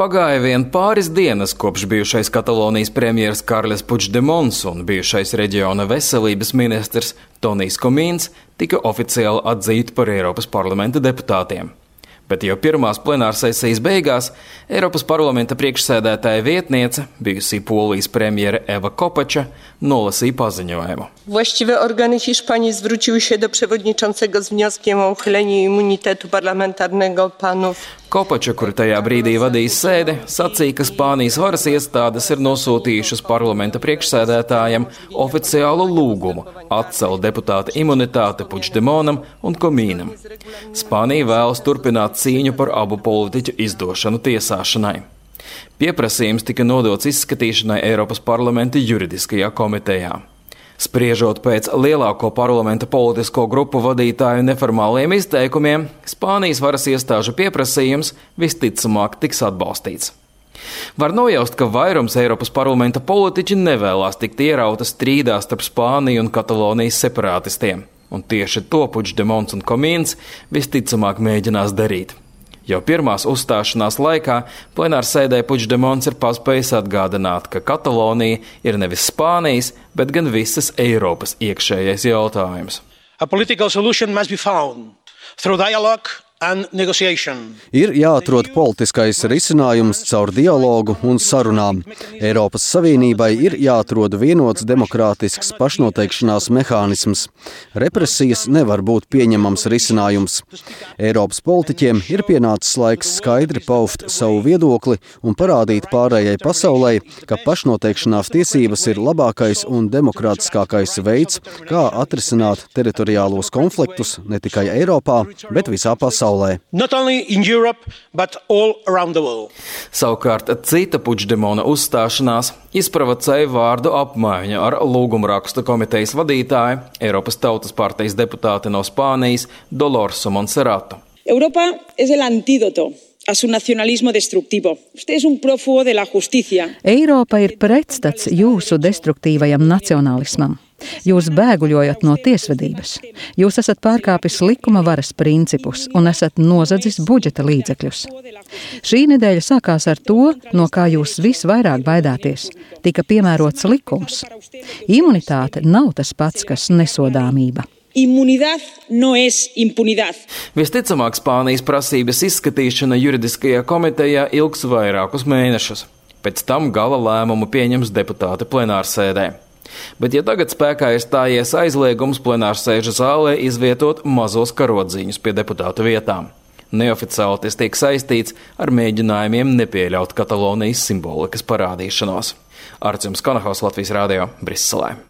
Pagāja vien pāris dienas, kopš bijušais Katalonijas premjeras Karles Puigdemons un bijušais reģiona veselības ministrs Tonijs Komīns tika oficiāli atzīti par Eiropas parlamenta deputātiem. Bet jau pirmās plenārsesijas beigās Eiropas parlamenta priekšsēdētāja vietniece, bijusī Polijas premjere Eva Kopača, nolasīja paziņojumu. Właściwe organy Hiszpanii zwróciły się do przewodniczącego z wnioskiem o uchylenie immunitetu parlamentarnego panów. Kopača, kur tajā brīdī vadīja sēdi, sacīja, ka Spānijas varas iestādes ir nosūtījušas parlamenta priekšsēdētājam oficiālu lūgumu atcelt deputāta imunitāti Puigdemonam un Komīnam. Spānija vēlas turpināt cīņu par abu politiķu izdošanu tiesāšanai. Pieprasījums tika nodots izskatīšanai Eiropas parlamenta juridiskajā komitejā. Spriežot pēc lielāko parlamenta politisko grupu vadītāju neformāliem izteikumiem, Spānijas varas iestāžu pieprasījums visticamāk tiks atbalstīts. Var nojaust, ka vairums Eiropas parlamenta politiķi nevēlās tikt ierauta strīdā starp Spāniju un Katalonijas separātistiem, un tieši to Puigdemons un Komīns visticamāk mēģinās darīt. Jau pirmās uzstāšanās laikā plenārsēdē Puigdemons ir paspējis atgādināt, ka Katalonija ir nevis Spānijas, bet gan visas Eiropas iekšējais jautājums. A political solution must be found through dialogue and negotiation. Ir jāatrod politiskais risinājums caur dialogu un sarunām. Eiropas Savienībai ir jāatrod vienots demokrātisks pašnoteikšanās mehānisms. Represijas nevar būt pieņemams risinājums. Eiropas politiķiem ir pienācis laiks skaidri paust savu viedokli un parādīt pārējai pasaulē, ka pašnoteikšanās tiesības ir labākais un demokrātiskākais veids, kā atrisināt teritoriālos konfliktus ne tikai Eiropā, bet visā pasaulē. Not only in Europe, but all around the world. Savukārt cita Puigdemona uzstāšanās izprovocēja vārdu apmaiņu ar lūgumrakstu komitejas vadītāju, Eiropas Tautas partijas deputāti no Spānijas Dolorsu Monserratu. Europa es el antídoto a su nacionalismo destructivo. Usted es un prófugo de la justicia. Eiropa ir pretstats jūsu destruktīvajam nacionālismam. Jūs bēguļojat no tiesvedības. Jūs esat pārkāpis likuma varas principus un esat nozadzis budžeta līdzekļus. Šī nedēļa sākās ar to, no kā jūs visvairāk baidāties. Tika piemērots likums. Imunitāte nav tas pats, kas nesodāmība. Inmunidad no es impunidad. Visticamāk, Spānijas prasības izskatīšana juridiskajā komitejā ilgs vairākus mēnešus. Pēc tam gala lēmumu pieņems deputāti plenārsēdē. Bet ja tagad spēkā ir stājies aizliegums plenārsēžu zālē izvietot mazos karodziņus pie deputātu vietām, neoficiāli tas tiek saistīts ar mēģinājumiem nepieļaut Katalonijas simbolikas parādīšanos. Artjums Kanahaus, Latvijas Rādio, Briselē.